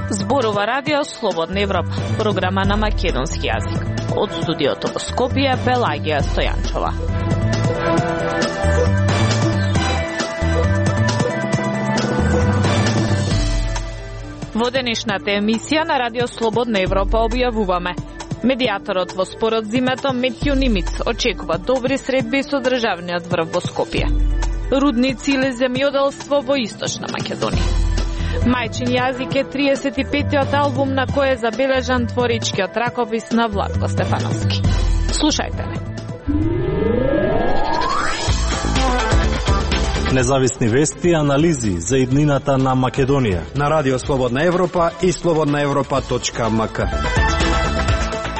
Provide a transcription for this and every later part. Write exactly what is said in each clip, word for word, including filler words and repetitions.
Зборува радио Слободна Европа, програма на македонски јазик. Од студиото во Скопје, Пелагија Стојанчова. Во денешната емисија на радио Слободна Европа објавуваме: медијаторот во спорот зимето Метју Нимиц очекува добри средби со државниот врв во Скопје. Рудници или земјоделство во Источна Македонија. Мајчин јазик е триесет и петтиот албум на кој е забележан творичкиот ракопис на Владко Стефановски. Слушајте ме. Независни вести и анализи за иднината на Македонија на радио Слободна Европа и слободна европа точка ем ка.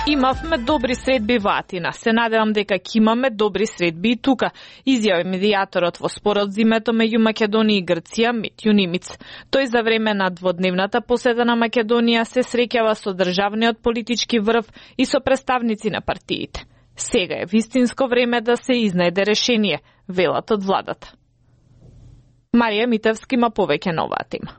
Имавме добри средби во Атина. Се надевам дека ќе имаме добри средби и тука, изјави медијаторот во спорот зимето меѓу Македонија и Грција Метју Нимиц. Тој за време на дводневната посета на Македонија се среќава со државниот политички врв и со представници на партиите. Сега е вистинско време да се изнајде решение, велат од владата. Марија Митевски има повеќе на оваа тема.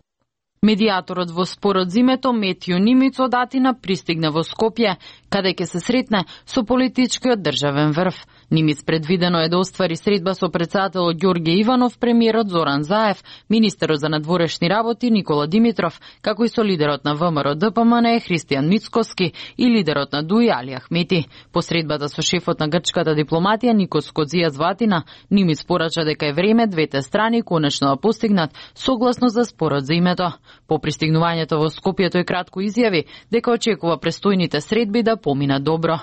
Медијаторот во спорот зимето Метју Нимиц од Атина пристигна во Скопје, каде ќе се сретне со политичкиот државен врв. Нимиц предвидено е да оствари средба со претседателот Ѓорѓе Иванов, премиерот Зоран Заев, министерот за надворешни работи Никола Димитров, како и со лидерот на ВМРО Д П М Н Христијан Мицкоски и лидерот на ДУИ Али Ахмети. По средбата со шефот на грчката дипломатија Никос Кодзијас во Атина, Нимиц порача дека е време двете страни конечно да постигнат согласно за спорот за името. По пристигнувањето во Скопје тој кратко изјави дека очекува престојните средби да поминат добро.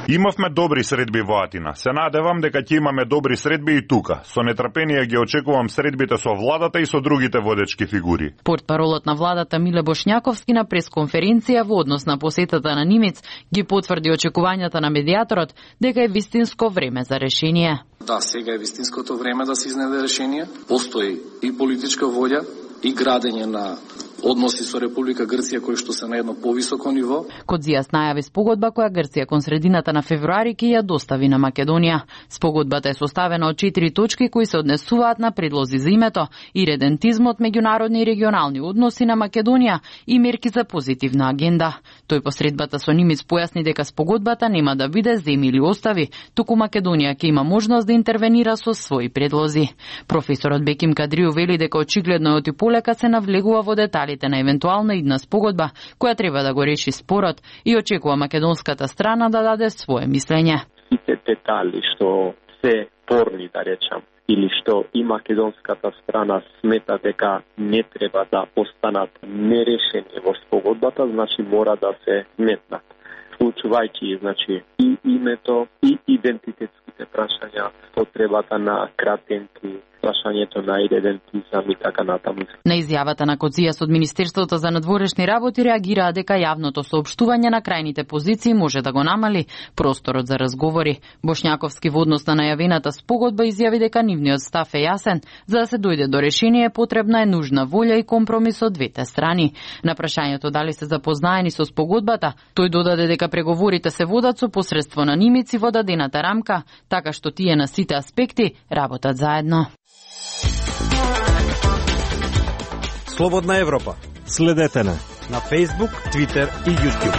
Имавме добри средби во Атина. Се надевам дека ќе имаме добри средби и тука. Со нетрпение ги очекувам средбите со владата и со другите водечки фигури. Портпаролот на владата Миле Бошњаковски на пресконференција во однос на посетата на Нимиц ги потврди очекувањата на медијаторот дека е вистинско време за решение. Да, сега е вистинското време да се изнајде решение. Постои и политичка волја и градење на односи со Република Грција кои што се на едно повисоко ниво. Кодзијас најави спогодба која Грција кон средината на февруари ќе ја достави на Македонија. Спогодбата е составена од четири точки кои се однесуваат на предлози за името, иредентизмот, меѓународни и регионални односи на Македонија и мерки за позитивна агенда. Тој по средбата со Нимиц појасни дека спогодбата нема да биде земи или остави, туку Македонија ќе има можност да интервенира со своји предлози. Професорот Беким Кадрију вели дека очигледно и полека се навлегува во деталите на евентуална идна спогодба која треба да го реши спорот и очекува македонската страна да даде свое мислење. Сите детали што се спорни, да речам, или што и македонската страна смета дека не треба да останат нерешени во спогодбата, значи мора да се сметнат. Вклучувајќи, значи, и името, и идентитетските прашања, потребата на кратенки, прашањето на идентизам и така натаму. На изјавата на Кодзијас од Министерството за надворешни работи реагираа дека јавното соопштување на крајните позиции може да го намали просторот за разговори. Бошњаковски во однос на најавената спогодба изјави дека нивниот став е јасен, за да се дојде до решение потребна е нужна волја и компромис од двете страни. На прашањето дали се запознаени со спогодбата, тој додаде дека преговорите се водат со посредство на Нимиц и во дадената рамка, така што тие на сите аспекти работат заедно. Слободна Европа. Следете на на Facebook, Twitter и YouTube.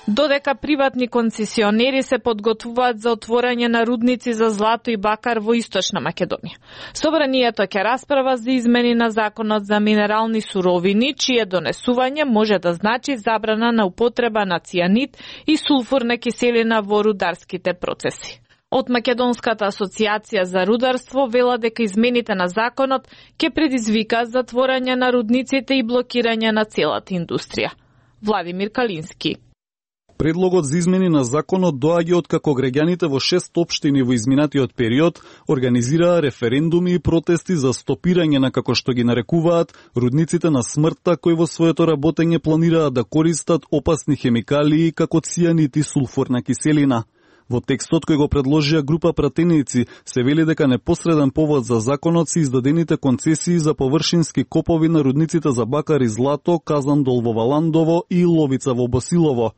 Додека приватни концесионери се подготвуваат за отворање на рудници за злато и бакар во Источна Македонија. Собранието ќе расправа за измени на законот за минерални суровини, чие донесување може да значи забрана на употреба на цијанид и сулфурна киселина во рударските процеси. Од Македонската асоциација за рударство вела дека измените на законот ќе предизвикаат затворање на рудниците и блокирање на целата индустрија. Владимир Калински. Предлогот за измени на законот доаѓа од како граѓаните во шест општини во изминатиот период организираа референдуми и протести за стопирање на, како што ги нарекуваат, рудниците на смртта кои во своето работење планираат да користат опасни хемикалии како цијанид и сулфурна киселина. Во текстот кој го предложија група пратеници се вели дека непосреден повод за законот се издадените концесии за површински копови на рудниците за бакар и злато, Казандол во Валандово и Ловица во Босилово.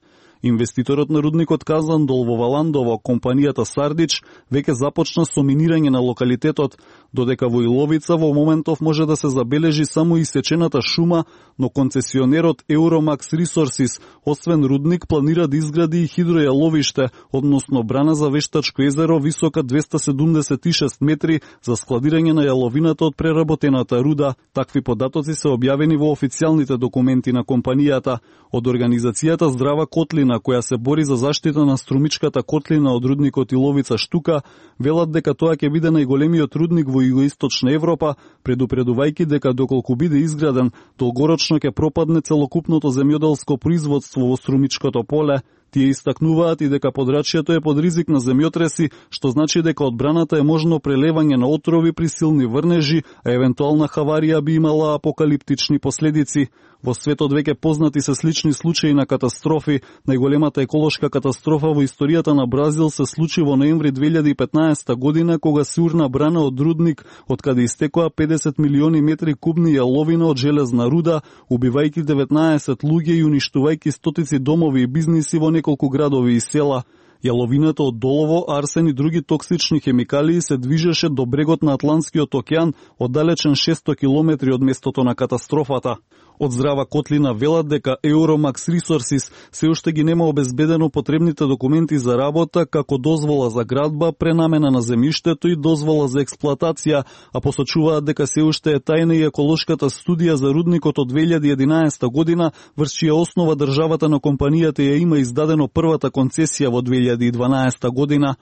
Инвеститорот на рудникот Казандол во Валандово, компанијата Сардич, веќе започна со минирање на локалитетот, додека во Иловица во моментов може да се забележи само исечената шума, но концесионерот Euromax Resources, освен рудник, планира да изгради и хидројаловиште, односно брана за вештачко езеро висока двеста седумдесет и шест метри за складирање на јаловината од преработената руда. Такви податоци се објавени во официјалните документи на компанијата. Од организацијата Здрава котлина, која се бори за заштита на струмичката котлина од рудникот Иловица Штука, велат дека тоа ќе биде најголемиот рудник во Југоисточна Европа, предупредувајќи дека доколку биде изграден, долгорочно ќе пропадне целокупното земјоделско производство во струмичкото поле. Тие истакнуваат и дека подрачјето е под ризик на земјотреси, што значи дека од браната е можно прелевање на отрови при силни врнежи, а евентуална хаварија би имала апокалиптични последици. Во светот веќе познати се слични случаи на катастрофи. Најголемата еколошка катастрофа во историјата на Бразил се случи во ноември две илјади и петнаесета година, кога се урна брана од рудник, од каде истекоа педесет милиони метри кубни јаловина од железна руда, убивајќи деветнаесет луѓе и уништувајќи стотици домови и бизниси во неколку градови и села. Јаловината од долово, арсен и други токсични хемикалии се движеше до брегот на Атлантскиот океан, оддалечен шесто километри од местото на катастрофата. Од Здрава котлина велат дека Euromax Resources се уште ги нема обезбедено потребните документи за работа, како дозвола за градба, пренамена на земјиштето и дозвола за експлоатација, а посочуваат дека се уште е тајна и еколошката студија за рудникот од две илјади и единаесета година, врз чија основа државата на компанијата ја има издадено првата концесија во две илјади и дванаесета година.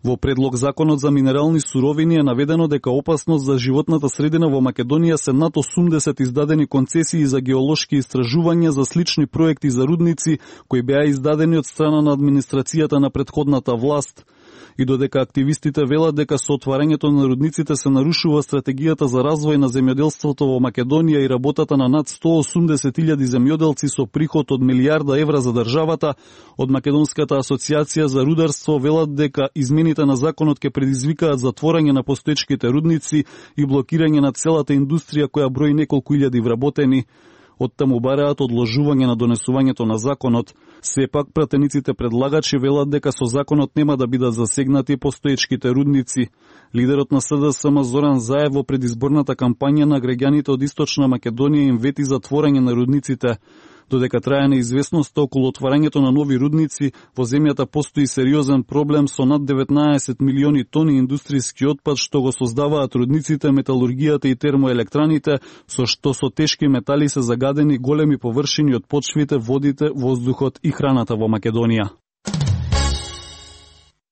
Во предлог законот за минерални суровини е наведено дека опасност за животната средина во Македонија се над осумдесет издадени концесии за геолошки истражувања за слични проекти за рудници кои беа издадени од страна на администрацијата на претходната власт. И додека активистите велат дека со отварањето на рудниците се нарушува стратегијата за развој на земјоделството во Македонија и работата на над сто и осумдесет илјади земјоделци со приход од милијарда евра за државата, од Македонската асоциација за рударство велат дека измените на законот ќе предизвикаат затворање на постоечките рудници и блокирање на целата индустрија која брои неколку илјади вработени. Оттаму бараат одложување на донесувањето на законот. Сепак, пратениците предлагачи велат дека со законот нема да бидат засегнати постоечките рудници. Лидерот на СДСМ Зоран Заев во предизборната кампања на граѓаните од Источна Македонија им вети затворање на рудниците. Додека трае неизвестноста околу отварањето на нови рудници, во земјата постои сериозен проблем со над деветнаесет милиони тони индустријски отпад што го создаваат рудниците, металургијата и термоелектраните, со што со тешки метали се загадени големи површини од почвите, водите, воздухот и храната во Македонија.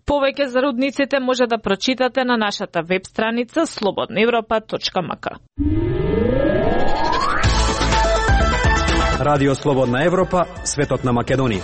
Повеќе за рудниците може да прочитате на нашата веб страница слободна европа точка м к. Радио Слободна Европа, светот на Македонија.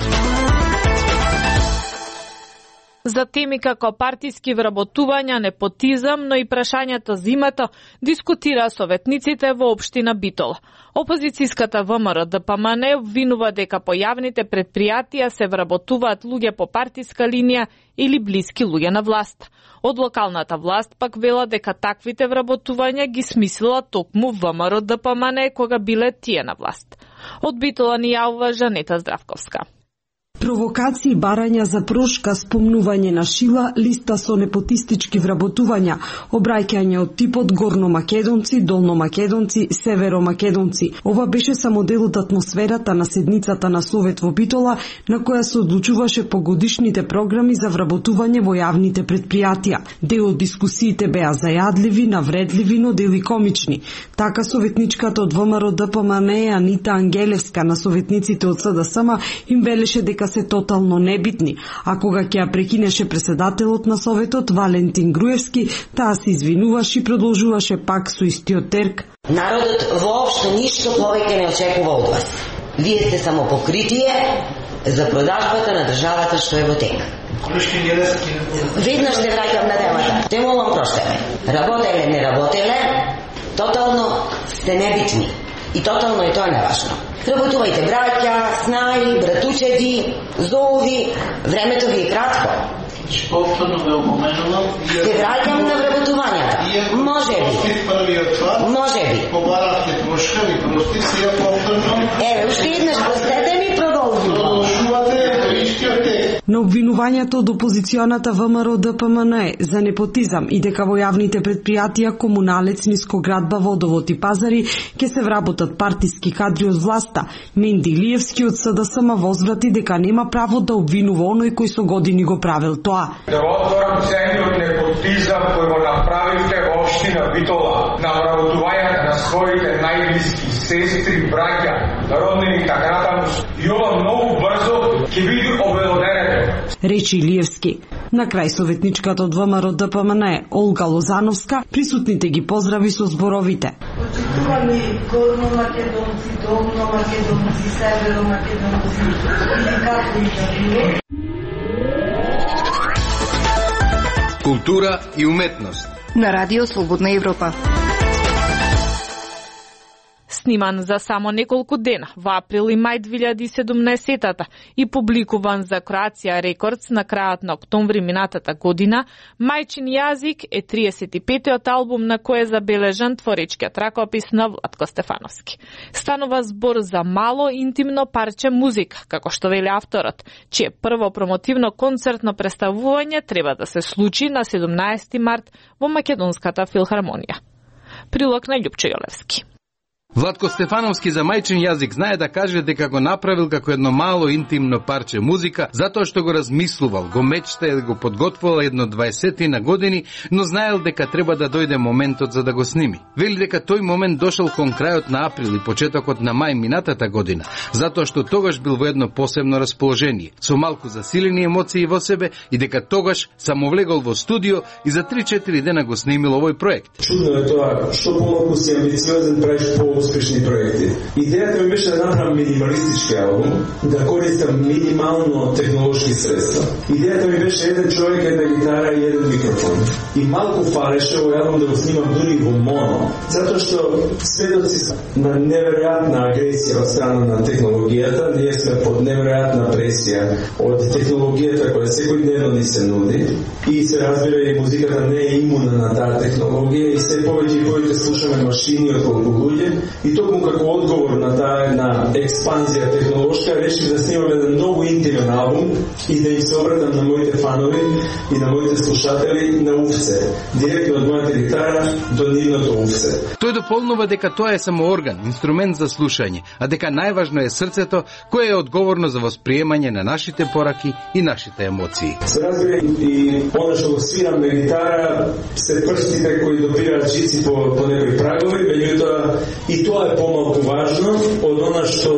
За теми како партиски вработувања, непотизам, но и прашањето за името, дискутира советниците во општина Битола. Опозицијската ВМРО Д П М Н обвинува дека по јавните предпријатија се вработуваат луѓе по партиска линија или блиски луѓе на власт. Од локалната власт пак вела дека таквите вработувања ги смислила токму ВМРО Д П М Н кога биле тие на власт. Од Битола ни јавува Жанета Здравковска. Провокации, барања за прошка, спомнување на шила, листа со непотистички вработувања, обраќање од типот горномакедонци, долномакедонци, северомакедонци. Ова беше само дел од атмосферата на седницата на Совет во Битола, на која се одлучуваше по годишните програми за вработување во јавните предпријатија. Дел од дискусиите беа зајадливи, навредливи, но дел и комични. Така советничката од ВМРО Д П М Н Анита Ангелевска на советниците од С Д С М им велеше дека се тотално небитни, а кога ќе ја прекинеше председателот на Советот Валентин Груевски, таа се извинуваше и продолжуваше пак со истиот терк. Народот воопшто ништо повеќе не очекува од вас. Вие сте само покритие за продажбата на државата што е во тек. Веднаш се враќам на темата. Те молам проштеме. Работеле, не работеле, тотално сте небитни. И тотално е тоа неважно. Работувајте браќа, снаи, братучеди, зоови, времето ви е кратко. Повторно ве опоменувам. Се враќам на вработувањата. Може би. Може би. Побаравте трошка, ви прости се ја повторно. Еве, уште еднаш простете ми, продолжувам. Продолжувате по истиот текст. На обвинувањето од опозиционата ВМРО Д П М Н Е за непотизам и дека во јавните предпријатија Комуналец, Нискоградба, Водовод и Пазари ќе се вработат партиски кадри од власта, Менди Илиевски од С Д С М возврати дека нема право да обвинува оној кој со години го правил тоа. Да отворам цениот непотизам кој го направивте во општина Битола на вработувањата на своите најблиски сестри, браќа, роднини, така натаму. И ова многу брзо ќе биде обелоденето. Речи Илиевски. На крај советничката од ВМРО Д П М Н Е Олга Лозановска присутните ги поздрави со зборовите. Почитувани горно-македонци, долно-македонци, северо-македонци, или како и да било. Култура и уметност. На Радио Слободна Европа. Сниман за само неколку дена во април и мај две илјади и седумнаесетта и публикуван за Кроација Рекордс на крајот на октомври минатата година, Мајчин јазик е триесет и петиот албум на кој е забележан творечкиот ракопис на Владко Стефановски. Станува збор за мало интимно парче музика, како што вели авторот, чие прво промотивно концертно представување треба да се случи на седумнаесети март во Македонската филхармонија. Прилог на Љупчо Јолевски. Владко Стефановски за Мајчин јазик знае да каже дека го направил како едно мало интимно парче музика, затоа што го размислувал, го мечтаел, го подготвувал едно дваесетина години, но знаел дека треба да дојде моментот за да го сними. Вели дека тој момент дошол кон крајот на април и почетокот на мај минатата година, затоа што тогаш бил во едно посебно расположение, со малку засилени емоции во себе и дека тогаш само влегол во студио и за три-четири дена го снимил овој проект. Чудно е тоа, што помалку си амбициозен правиш по успешни проекти. Идејата ми беше да направам минималистички албум, да користам минимално технолошки средства. Идејата ми беше еден човек, една гитара и еден микрофон. И малку фалеше овој албум да го снимам дури во моно, затоа што сведоци на неверојатна агресија од страна на технологијата, ние сме под неверојатна пресија од технологијата која секојдневно ни се нуди и се разбира и музиката не е имуна на таа технологија и се повеќе и повеќе слушаме машини отколку луѓе. И токму како одговор на таа една експанзија технолошка, решив да снимам еден многу интимен албум и да им се обратам на моите фанови и на моите слушатели на уфце, директно од мојата гитара до нивното уфце. Тој дополнува дека тоа е само орган, инструмент за слушање, а дека најважно е срцето, кое е одговорно за восприемање на нашите пораки и нашите емоции. Се разбира и она што го свирам на гитара, се прстите кои допираат жици по, по некои прагови, меѓутоа и тоа е помалку важно од она што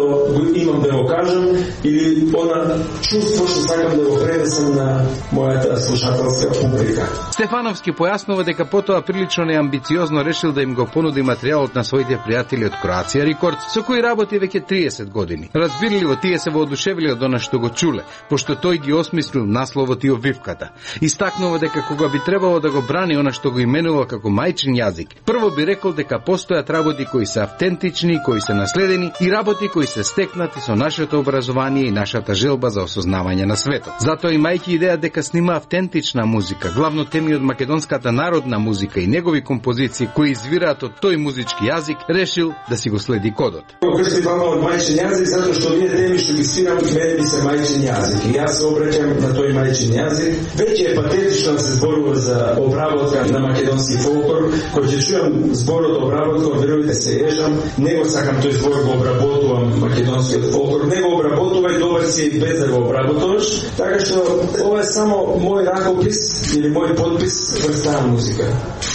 имам да го кажам или она чувство што сакам да го пренесам на мојата слушателска публика. Стефановски појаснува дека потоа прилично неамбициозно решил да им го понуди материјалот на своите пријатели од Кроација Рекордс, со кои работи веќе триесет години. Разбирливо тие се воодушевиле од она што го чуле, пошто тој ги осмислил насловот и обвивката. Истакнува дека кога би требало да го брани она што го именува како Мајчин јазик, прво би рекол дека постојат работи кои се автентични, кои се наследени и работи кои се стекнати со нашето образование и нашата желба за осознавање на светот. Затоа имајќи идеја дека снима автентична музика, главно теми од македонската народна музика и негови композиции кои извираат од тој музички јазик, решил да си го следи кодот. Крсти баба од мајчин јазик затоа што овие теми што ги свирам мене ми се мајчин јазик и јас се обраќам на тој мајчин јазик. Веќе е патетично да се зборува за обработка на македонски фолклор, кој ќе чујам зборот обработка, верувате се ежам, не го сакам тој збор го обработувам македонскиот фолклор, не го обработувај, добар си без да го обработуваш, така што ова е само мој ракопис или мој подпис врз таа музика.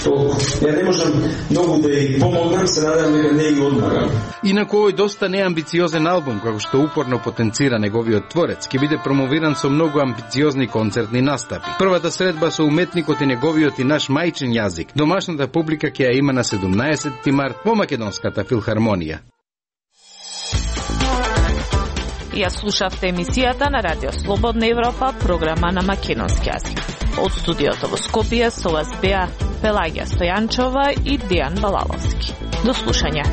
Толку. Ја не можам многу да ја помогнам, се надевам дека не ја одмагам. Инаку овој доста неамбициозен албум, како што упорно потенцира неговиот творец, ќе биде промовиран со многу амбициозни концертни настапи. Првата средба со уметникот и неговиот и наш мајчин јазик, домашната публика ќе ја има на седумнаесети март во Македонската филхармонија. Ја слушавте емисијата на Радио Слободна Европа, програма на македонски јазик. Од студиото во Скопје со вас беа Пелагија Стојанчова и Дејан Балаловски. До слушање.